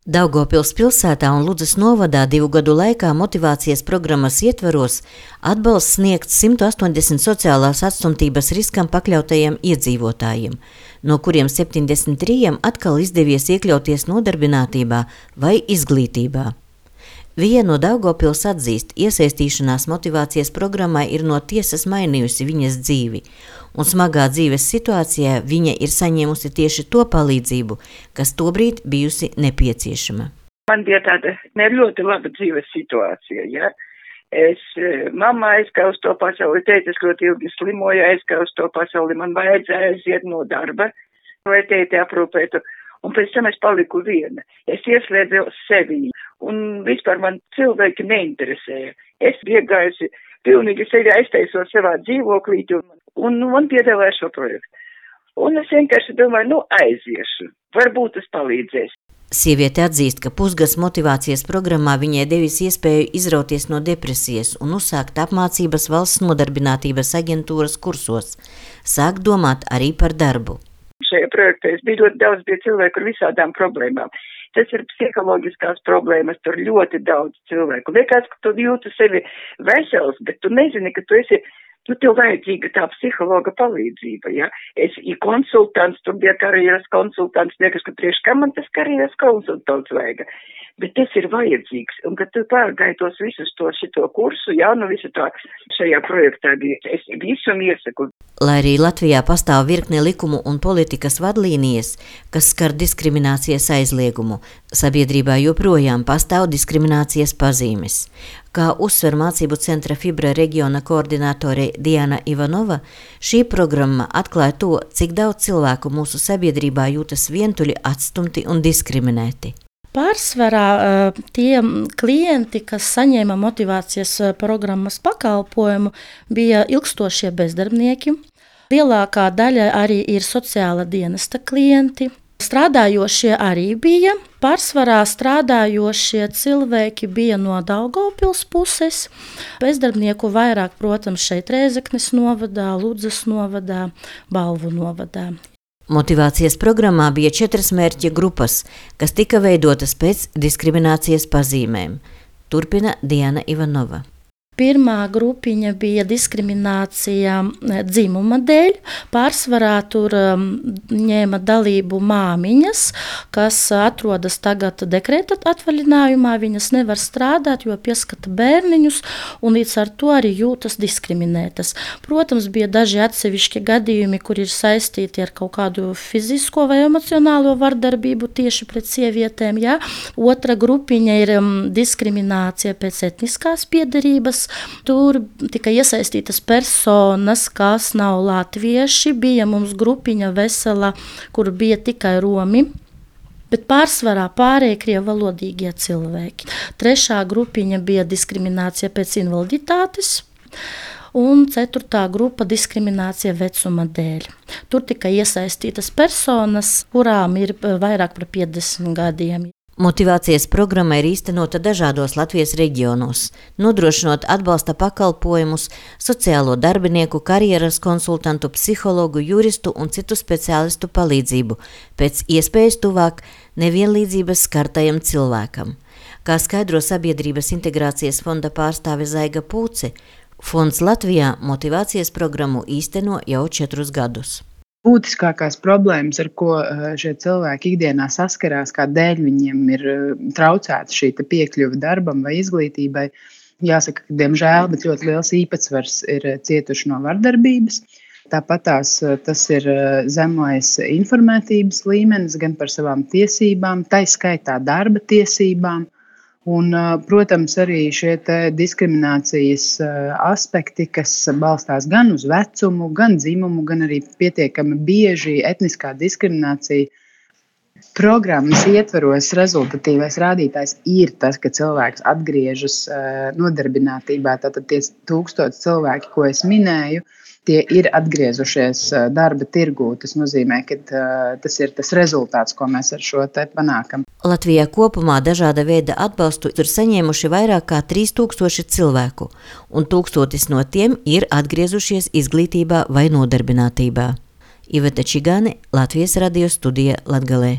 Daugavpils pilsētā un Ludzas novadā 2 gadu laikā motivācijas programmas ietvaros atbalsts sniegts 180 sociālās atstumtības riskam pakļautajiem iedzīvotājiem, no kuriem 73 atkal izdevies iekļauties nodarbinātībā vai izglītībā. Vija no Daugavpils atzīst, iesaistīšanās motivācijas programmai ir no tiesas mainījusi viņas dzīvi, un smagā dzīves situācijā viņa ir saņēmusi tieši to palīdzību, kas tobrīd bijusi nepieciešama. Man bija tāda ne ļoti laba dzīves situācija, ja. Mamma aizgāja uz to pasauli, tētis ļoti ilgi slimoja, aizgāja uz to pasauli, man vajadzēja aiziet no darba, lai tēti aprūpētu. Un pēc tam es paliku viena. Es ieslēdzu sevi, un vispār man cilvēki neinteresēja. Es iegājusi, pilnīgi sevi aiztaisot savā dzīvoklīti, un man piedāvāja šo projektu. Un es vienkārši domāju, aiziešu, varbūt tas palīdzēs. Sieviete atzīst, ka pusgads motivācijas programmā viņai devis iespēju izrauties no depresijas un uzsākt apmācības valsts nodarbinātības aģentūras kursos, sākt domāt arī par darbu. Šajā projektā es biju ļoti daudz cilvēku ar visādām problēmām. Tas ir psiholoģiskās problēmas, tur ļoti daudz cilvēku. Liekas, ka tu jūti sevi vesels, bet tu nezini, ka tev vajadzīga tā psihologa palīdzība, ja? Es konsultants, tur bija karjeras konsultants, liekas, ka priekš kā man tas karjeras konsultants vajag. Bet tas ir vajadzīgs, un kad tu pārgāji tos visus šito kursu, visu to šajā projektā bija, es visam iesaku. Lai arī Latvijā pastāv virkne likumu un politikas vadlīnijas, kas skar diskriminācijas aizliegumu, sabiedrībā joprojām pastāv diskriminācijas pazīmes. Kā uzsver mācību centra Fibra reģiona koordinātore Diana Ivanova, šī programma atklāja to, cik daudz cilvēku mūsu sabiedrībā jūtas vientuļi, atstumti un diskriminēti. Pārsvarā tie klienti, kas saņēma motivācijas programmas pakalpojumu, bija ilgstošie bezdarbnieki. Lielākā daļa arī ir sociāla dienesta klienti. Strādājošie arī bija. Pārsvarā strādājošie cilvēki bija no Daugavpils puses. Bezdarbnieku vairāk, protams, šeit Rēzeknes novadā, Ludzas novadā, Balvu novadā. Motivācijas programmā bija 4 mērķa grupas, kas tika veidotas pēc diskriminācijas pazīmēm. Turpina Diana Ivanova. Pirmā grupiņa bija diskriminācija dzimuma dēļ. Pārsvarā tur ņēma dalību māmiņas, kas atrodas tagad dekrēta atvaļinājumā. Viņas nevar strādāt, jo pieskata bērniņus un līdz ar to arī jūtas diskriminētas. Protams, bija daži atsevišķi gadījumi, kur ir saistīti ar kaut kādu fizisko vai emocionālo vardarbību tieši pret sievietēm. Ja? Otra grupiņa ir diskriminācija pēc etniskās piederības. Tur tika iesaistītas personas, kas nav latvieši. Bija mums grupiņa vesela, kur bija tikai romi, bet pārsvarā pārējie krievalodīgie cilvēki. Trešā grupiņa bija diskriminācija pēc invaliditātes. Un 4. grupa diskriminācija vecuma dēļ. Tur tika iesaistītas personas, kurām ir vairāk par 50 gadiem. Motivācijas programma ir īstenota dažādos Latvijas reģionos, nodrošinot atbalsta pakalpojumus, sociālo darbinieku, karjeras konsultantu, psihologu, juristu un citu speciālistu palīdzību, pēc iespējas tuvāk nevienlīdzības skartajam cilvēkam. Kā skaidro Sabiedrības integrācijas fonda pārstāve Zaiga Pūce, fonds Latvijā motivācijas programmu īsteno jau 4 gadus. Būtiskākās problēmas, ar ko šie cilvēki ikdienā saskarās, kādēļ viņiem ir traucēta šī piekļuve darbam vai izglītībai, jāsaka, ka diemžēl, bet ļoti liels īpatsvars ir cietuši no vardarbības. Tāpat tas ir zemais informētības līmenis gan par savām tiesībām, tai skaitā darba tiesībām. Un, protams, arī šie diskriminācijas aspekti, kas balstās gan uz vecumu, gan dzimumu, gan arī pietiekami bieži etniskā diskriminācija. Programmas ietvaros rezultatīvais rādītājs ir tas, ka cilvēks atgriežas nodarbinātībā. Tātad tie 1000 cilvēki, ko es minēju, tie ir atgriezušies darba tirgū. Tas nozīmē, ka tas ir tas rezultāts, ko mēs ar šo te panākam. Latvijā kopumā dažāda veida atbalstu ir saņēmuši vairāk kā 3000 cilvēku, un 1000 no tiem ir atgriezušies izglītībā vai nodarbinātībā. Iveta Čigāne, Latvijas radio studija Latgalē.